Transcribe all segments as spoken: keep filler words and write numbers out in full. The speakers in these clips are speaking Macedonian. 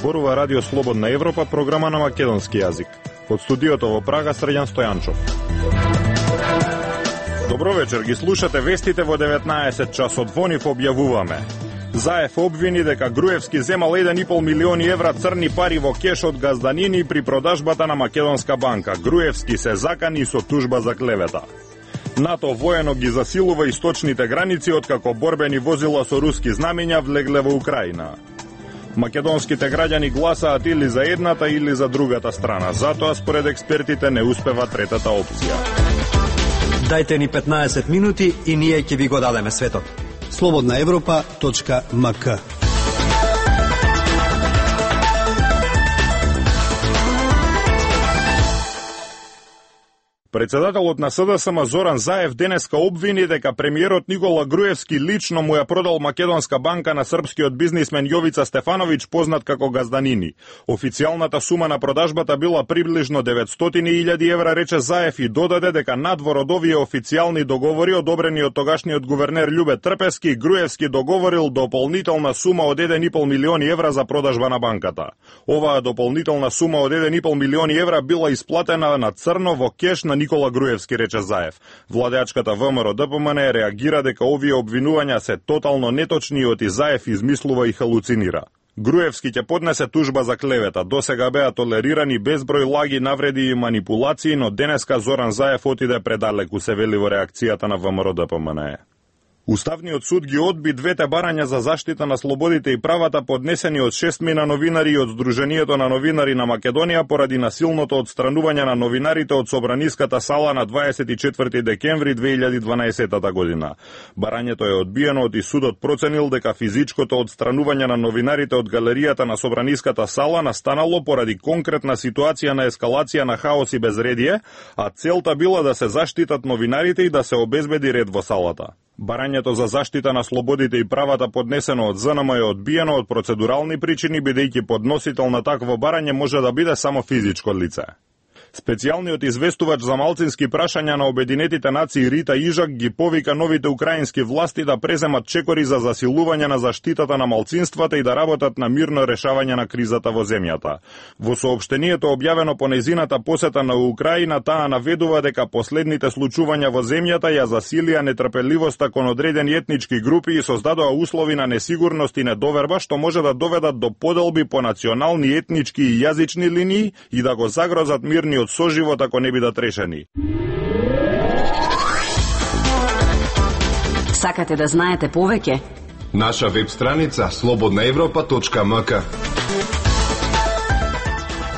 зборува Радио Слободна Европа, програма на македонски јазик. Од студиото во Прага, Срđan Стојанчов. Добро вечер, ги слушате вестите во деветнаесет часот. Во нив објавуваме: Заев обвини дека Груевски земал еден и пол милиони евра црни пари во кеш од газданини при продажбата на Македонска банка. Груевски се закани со тужба за клевета. НАТО воено ги засилува источните граници откако борбени возила со руски знамења влегле во Украина. Македонските граѓани гласаат или за едната или за другата страна. Затоа според експертите не успева третата опција. Дајте ни петнаесет минути и ние ќе ви го дадеме светот. слободна европа точка ем ка. Председателот на СДСМ Зоран Заев денеска обвини дека премиерот Никола Груевски лично му ја продал Македонска банка на српскиот бизнисмен Јовица Стефановиќ, познат како Газданини. Официјалната сума на продажбата била приближно деветстотини илјади евра, рече Заев, и додаде дека надвор од овие официјални договори одобрени од тогашниот гувернер Љубе Трпевски, Груевски договорил дополнителна сума од еден и пол милиони евра за продажба на банката. Оваа дополнителна сума од еден и пол милиони евра била исплатена на црно во кеш на Никола Груевски, рече Заев. Владеачката ВМРО Д П М Н реагира дека овие обвинувања се тотално неточни и оти Заев измислува и халуцинира. Груевски ќе поднесе тужба за клевета. Досега беа толерирани безброј лаги, навреди и манипулации, но денеска Зоран Заев отиде предалеку, се вели во реакцијата на ВМРО Д П М Н. Уставниот суд ги одби двете барања за заштита на слободите и правата поднесени од шестмина новинари и од Сдруженијето на новинари на Македонија поради насилното отстранување на новинарите од собраниската сала на дваесет и четврти декември две илјади и дванаесета година. Барањето е одбиено од и судот проценил дека физичкото отстранување на новинарите од галеријата на собраниската сала настанало поради конкретна ситуација на ескалација на хаос и безредие, а целта била да се заштитат новинарите и да се обезбеди ред во салата. Барањето за заштита на слободите и правата поднесено од З Н М е одбиено од процедурални причини, бидејќи подносител на такво барање може да биде само физичко лице. Специјалниот известувач за малцински прашања на Обединетите нации Рита Ижак ги повика новите украински власти да преземат чекори за засилување на заштитата на малцинствата и да работат на мирно решавање на кризата во земјата. Во соопштението објавено по незината посета на Украина, таа наведува дека последните случувања во земјата ја засилија нетрпеливоста кон одредени етнички групи и создадоа услови на несигурност и недоверба, што може да доведат до поделби по национални, етнички и јазични линии и да го загрозат мирни од соживот ако не бидат решени. Сакате да знаете повеќе? Наша веб страница слободна европа точка ем ка.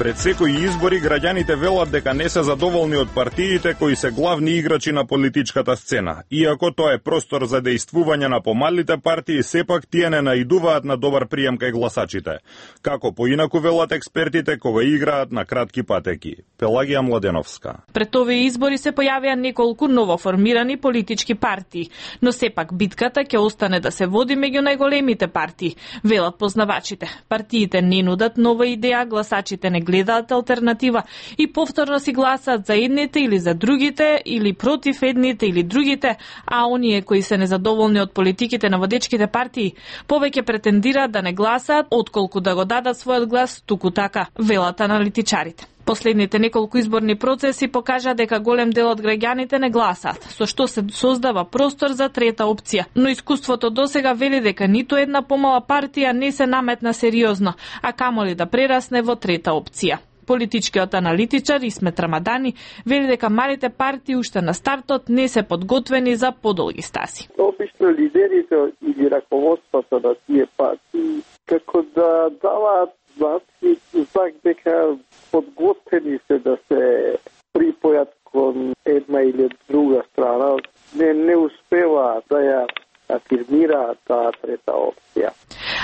Пред секои избори граѓаните велат дека не се задоволни од партиите кои се главни играчи на политичката сцена. Иако тоа е простор за дејствување на помалите партии, сепак тие не наидуваат на добар прием кај гласачите. Како поинаку велат експертите кога играат на кратки патеки. Пелагија Младеновска. Пред овие избори се појавија неколку новоформирани политички партии, но сепак битката ќе остане да се води меѓу најголемите партии, велат познавачите. Партиите не нудат нова идеја, гласачите не гледаат алтернатива и повторно си гласаат за едните или за другите, или против едните или другите, а оние кои се незадоволни од политиките на водечките партии повеќе претендираат да не гласаат отколку да го дадат својот глас туку така, велат аналитичарите. Последните неколку изборни процеси покажа дека голем дел од граѓаните не гласаат, со што се создава простор за трета опција. Но искуството досега вели дека ниту една помала партија не се наметна сериозно, а камоли да прерасне во трета опција. Политичкиот аналитичар Исмет Рамадани вели дека малите партии уште на стартот не се подготвени за подолги стаси. Обично лидерите или раководството на тие партии како да даваат знак дека подготвени се да се припојат кон една или друга страна, не, не успеваат да ја афирмираат таа трета опција.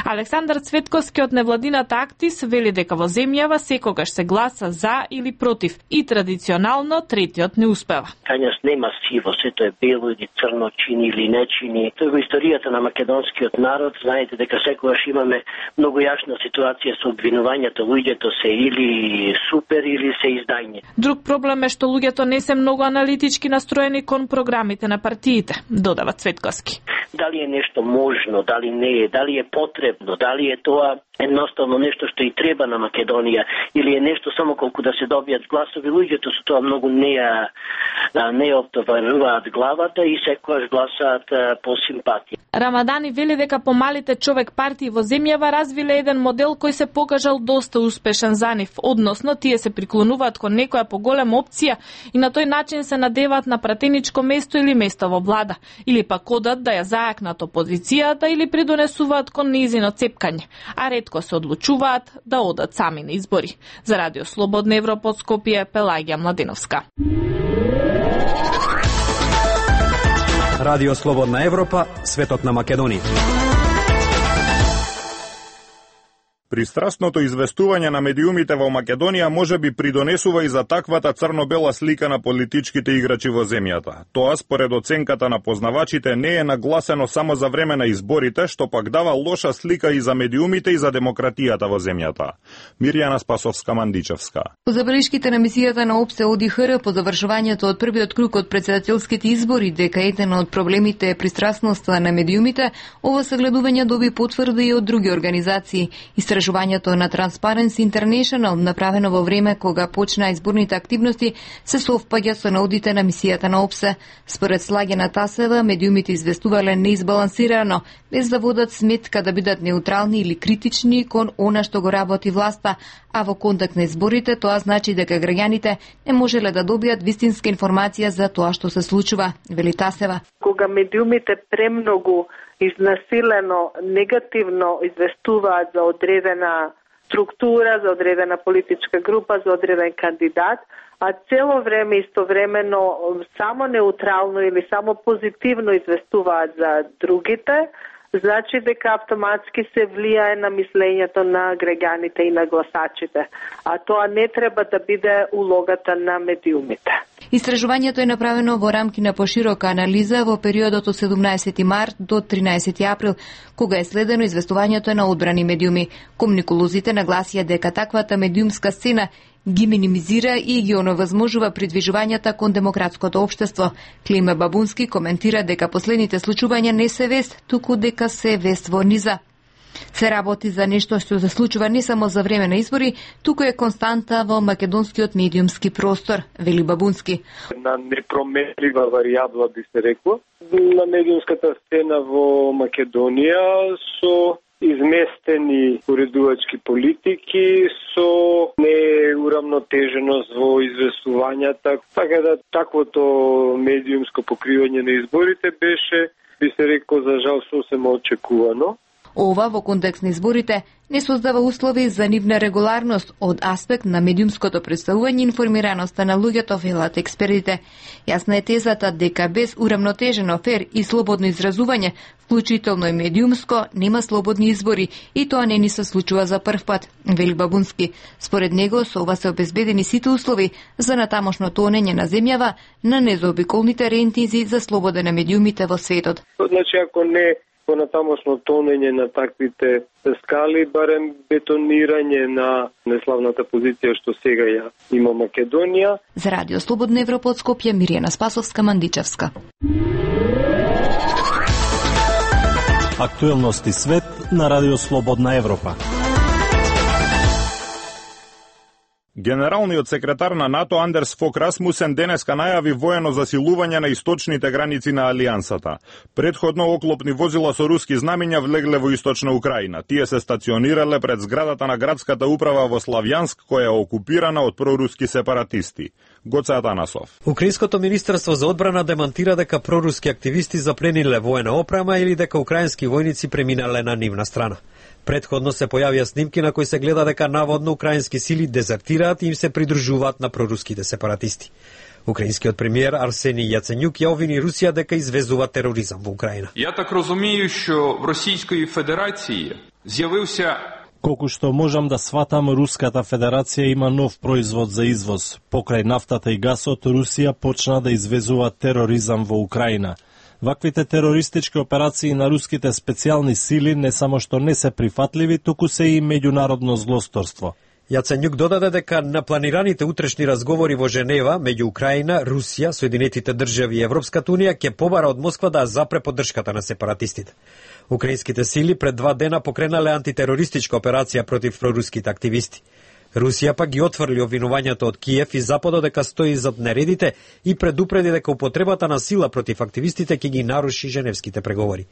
Александар Цветковски од невладината Актис вели дека во земјава секогаш се гласа за или против и традиционално третиот не успева. Кањас нема сиво, сето е бело или црно, чини или не чини. Тоа во историјата на македонскиот народ, знаете дека секогаш имаме многу јасна ситуација со обвинувањето, луѓето се или супер или се издајни. Друг проблем е што луѓето не се многу аналитички настроени кон програмите на партиите, додава Цветковски. Дали е нешто можно, дали не е, дали е потребно, дали е тоа едноставно нешто што и треба на Македонија, или е нешто само колку да се добијат гласови, луѓето со тоа многу не ја не ја оптоваруваат главата и секогаш гласаат по симпатија. Рамадани вели дека помалите човек партии во земјава развиле еден модел кој се покажал доста успешен за нив, односно тие се приклонуваат кон некоја поголема опција и на тој начин се надеваат на пратеничко место или место во влада, или пак одат да ја зајакнат опозицијата или придонесуваат кон нејзино цепкање, а ретко се одлучуваат да одат сами на избори. За Радио Слободна Европа од Скопје, Пелагија Младеновска. Радио Слободна Европа, светот на Македонија. Пристрасното известување на медиумите во Македонија може би придонесува и за таквата црно-бела слика на политичките играчи во земјата. Тоа, според оценката на познавачите, не е нагласено само за време на изборите, што пак дава лоша слика и за медиумите и за демократијата во земјата. Мирјана Спасовска-Мандичевска. По забелешките на мисијата на ОПСЕ ОДИХР по завршувањето од првиот круг од председателските избори, дека еден од проблемите е пристрасноста на медиумите, ова согледување доби потврда и од други организации. Истражувањето на Transparency International, направено во време кога почна изборните активности, се совпаѓа со наудите на мисијата на ОПСЕ. Според Слагена Тасева, медиумите известувале неизбалансирано, без да водат сметка да бидат неутрални или критични кон она што го работи власта, а во контекст на изборите тоа значи дека граѓаните не можеле да добијат вистинска информација за тоа што се случува, вели Тасева. Кога медиумите премногу изнасилено, негативно известуваат за одредена структура, за одредена политичка група, за одреден кандидат, а цело време истовремено само неутрално или само позитивно известуваат за другите, значи дека автоматски се влијае на мислењето на граѓаните и на гласачите, а тоа не треба да биде улогата на медиумите. Истражувањето е направено во рамки на поширока анализа во периодот од седумнаесети март до тринадесети април, кога е следено известувањето на одбрани медиуми. Комуниколозите нагласија дека таквата медиумска сцена ги минимизира и ги оневозможува придвижувањата кон демократското општество. Климе Бабунски коментира дека последните случувања не се вест, туку дека се вест во низа. Се работи за нешто што се случува не само за време на избори, туку е константа во македонскиот медиумски простор, вели Бабунски. На непроменлива варијабла би се рекло на медиумската сцена во Македонија со изместени уредувачки политики, со неурамнотеженост во известувањата. Така да таквото медиумско покривање на изборите беше, би се рекло, за жал сосема очекувано. Ова во контекст на изборите не создава услови за нивна регуларност од аспект на медиумското представување и информираноста на луѓето, велат експертите. Јасна е тезата дека без урамнотежено, фер и слободно изразување, вклучително и медиумско, нема слободни избори и тоа не ни се случува за прв пат, вели Бабунски. Според него, со ова се обезбедени сите услови за натамошно тонење на земјава на незаобиколните рейтинзи за слобода на медиумите во светот. Значи, ако не по натамошно тонење на таквите скали, барем бетонирање на неславната позиција што сега ја има Македонија. За Радио Слободна Европа од Скопје, Мирјана Спасовска-Мандичевска. Актуелности свет на Радио Слободна Европа. Генералниот секретар на НАТО Андерс Фок Расмусен денеска најави воено засилување на источните граници на Алијансата. Предходно оклопни возила со руски знамиња влегле во источна Украина. Тие се стационирале пред зградата на градската управа во Славјанск, која е окупирана од проруски сепаратисти. Гоце Атанасов. Украинското министерство за одбрана демантира дека проруски активисти заплениле воена опрема или дека украински војници преминале на нивна страна. Предходно се појавија снимки на кои се гледа дека наводно украински сили дезертираат и им се придружуваат на проруските сепаратисти. Украинскиот премиер Арсенij Јаценјук ја обвини Русија дека извезува тероризам во Украина. Я так разумею, што в Росијској Федерација зјавился. Колку што можам да сватам, Руската Федерација има нов производ за извоз. Покрај нафтата и гасот, Русија почна да извезува тероризам во Украина. Ваквите терористички операции на руските специјални сили не само што не се прифатливи, туку се и меѓународно злосторство. Јаценјук додаде дека на планираните утрешни разговори во Женева меѓу Украина, Русија, Соединетите држави и Европската унија ќе побара од Москва да запре поддршката на сепаратистите. Украинските сили пред два дена покренале антитерористичка операција против проруските активисти. Русија пак ги отфрли обвинувањето од Киев и Западот дека стои зад нередите и предупреди дека употребата на сила против активистите ќе ги наруши женевските преговори.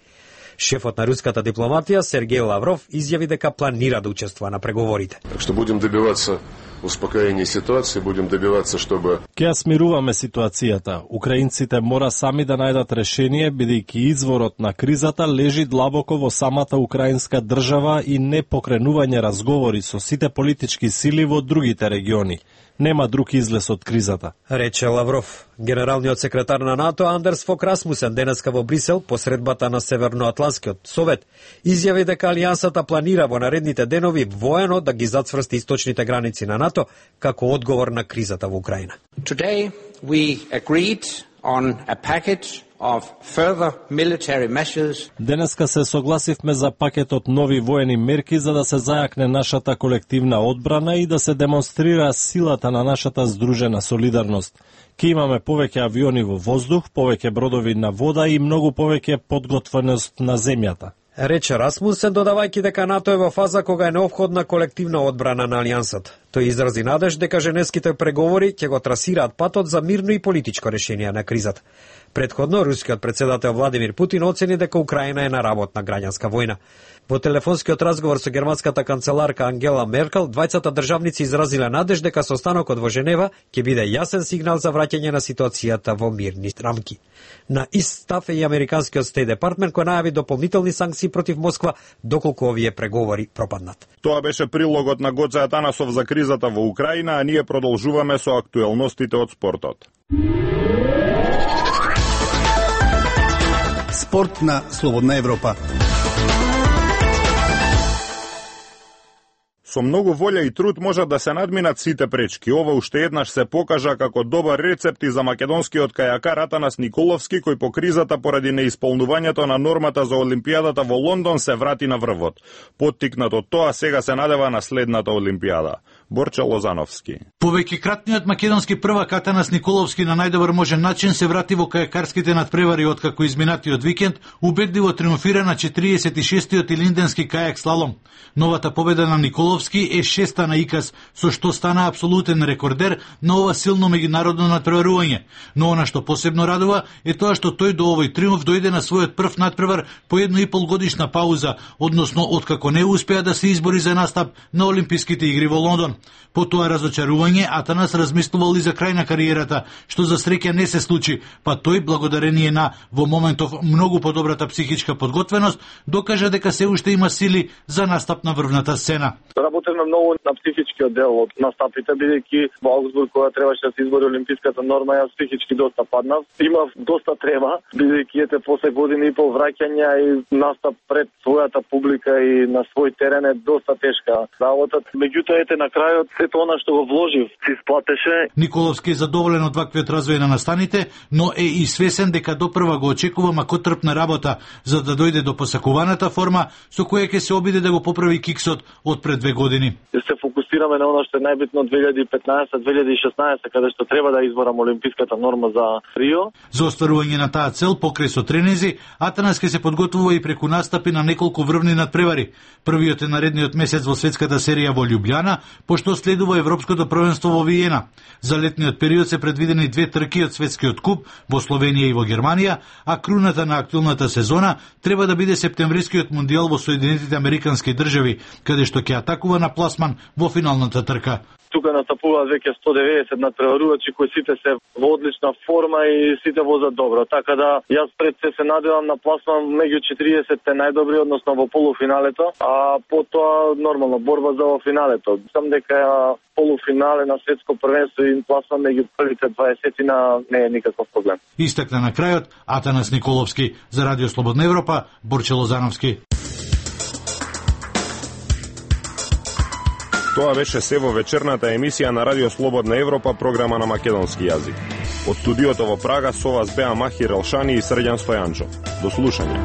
Шефот на руската дипломатија Сергеј Лавров изјави дека планира да учествува на преговорите. Так што будем добивацца успокоение ситуации, будем добиваться, чтобы... Ке смируваме ситуацијата. Украинците мора сами да најдат решение, бидејќи изворот на кризата лежи длабоко во самата украинска држава и не покренување разговори со сите политички сили во другите региони. Нема друг излез од кризата, рече Лавров. Генералниот секретар на НАТО Андерс Фок Расмусен денеска во Брисел, посредбата на Северноатлантскиот совет, изјави дека алијансата планира во наредните денови воено да ги зацврсти источните граници на НАТО како одговор на кризата во Украина. Today we agreed on a package of further military measures. Денеска се согласивме за пакетот нови воени мерки за да се зајакне нашата колективна одбрана и да се демонстрира силата на нашата здружена солидарност. Ке имаме повеќе авиони во воздух, повеќе бродови на вода и многу повеќе подготвеност на земјата, рече Расмусен, додавајќи дека НАТО е во фаза кога е неопходна колективна одбрана на алијансата. Тој изрази надеж дека женевските преговори ќе го трасираат патот за мирно и политичко решение на кризата. Предходно, рускиот председател Владимир Путин оцени дека Украина е на работна граѓанска војна. Во телефонскиот разговор со германската канцеларка Ангела Меркел, двајцата државници изразиле надеж дека состанокот во Женева ќе биде јасен сигнал за враќање на ситуацијата во мирни рамки. На ист став е и американскиот Стейт Департмент кој најави дополнителни санкции против Москва доколку овие преговори пропаднат. Тоа беше прилогот на Гоце Атанасов за кризата во Украина, а ние продолжуваме со актуелностите од спортот. Спорт на Слободна Европа. Со многу волја и труд можат да се надминат сите пречки. Ова уште еднаш се покажа како добар рецепт и за македонскиот кајакар Атанас Николовски, кој по кризата поради неисполнувањето на нормата за Олимпијадата во Лондон се врати на врвот. Поттикнат од тоа, сега се надева на следната Олимпијада. Борче Лозановски. Повеќекратниот македонски првак Атанас Николовски на најдобар можен начин се врати во кајакарските надпревари откако изминатиот викенд убедливо триумфира на четириесет и шестиот илинденски кајак слалом. Новата победа на Николовски е шеста на ИКАС, со што стана апсолутен рекордер на ова силно меѓународно надпреварување. Но она што посебно радува е тоа што тој до овој триумф дојде на својот прв надпревар по едно и пол годишна пауза, односно откако не успеа да се избори за настап на Олимписките игри во Лондон. По тоа разочарување Атанас размислувал и за крај на кариерата, што за среќа не се случи, па тој благодарение на во моментов многу подобрата психичка подготвеност докажа дека се уште има сили за настап на врвната сцена. Работевме многу на психичкиот дел од настапите, бидејќи во Аугсбург кога требаше да се избори олимписката норма, јас психички доста паднав. Имав доста трема, бидејќи ете после година и пол враќања и настап пред својата публика и на свој терен е доста тешка работа. Меѓутоа ете на крајот сето она што го вложив се исплатеше. Николовски е задоволен од ваквиот развој на настаните, но е и свесен дека допрва го очекува макотрпна работа за да дојде до посакуваната форма со која ќе се обиде да го поправи киксот од пред две години. Се фокусираме на она што е најбитно две илјади и петнаесет две илјади и шеснаесет, каде што треба да изборам олимписката норма за Рио. За остварување на таа цел покрај со тренинзи, Атанас ќе се подготвува и преку настапи на неколку врвни надпревари. Првиот е наредниот месец во светската серија во Љубљана, пошто следува Европското првенство во Виена. За летниот период се предвидени две трки од светскиот куп во Словенија и во Германија, а круната на актуелната сезона треба да биде септемврискиот мондијал во Соединетите Американски држави, каде што ќе атакува на пласман во финалната трка. Тука настапуваат веќе сто деветдесет надпреварувачи кои сите се во одлична форма и сите возат добро. Така да јас пред се се надевам на пласман меѓу четириесетте најдобри, односно во полуфиналето, а потоа нормално борба за во финалето. Сам дека полуфинале на светско првенство и пласман меѓу првите дваесетина не е никаков проблем. Истакна на крајот Атанас Николовски за Радио Слободна Европа, Борче Лозановски. Тоа беше се во вечерната емисија на Радио Слободна Европа, програма на македонски јазик. Од студиото во Прага со вас беа Махир Елшани и Срđan Стојанчов. До слушање.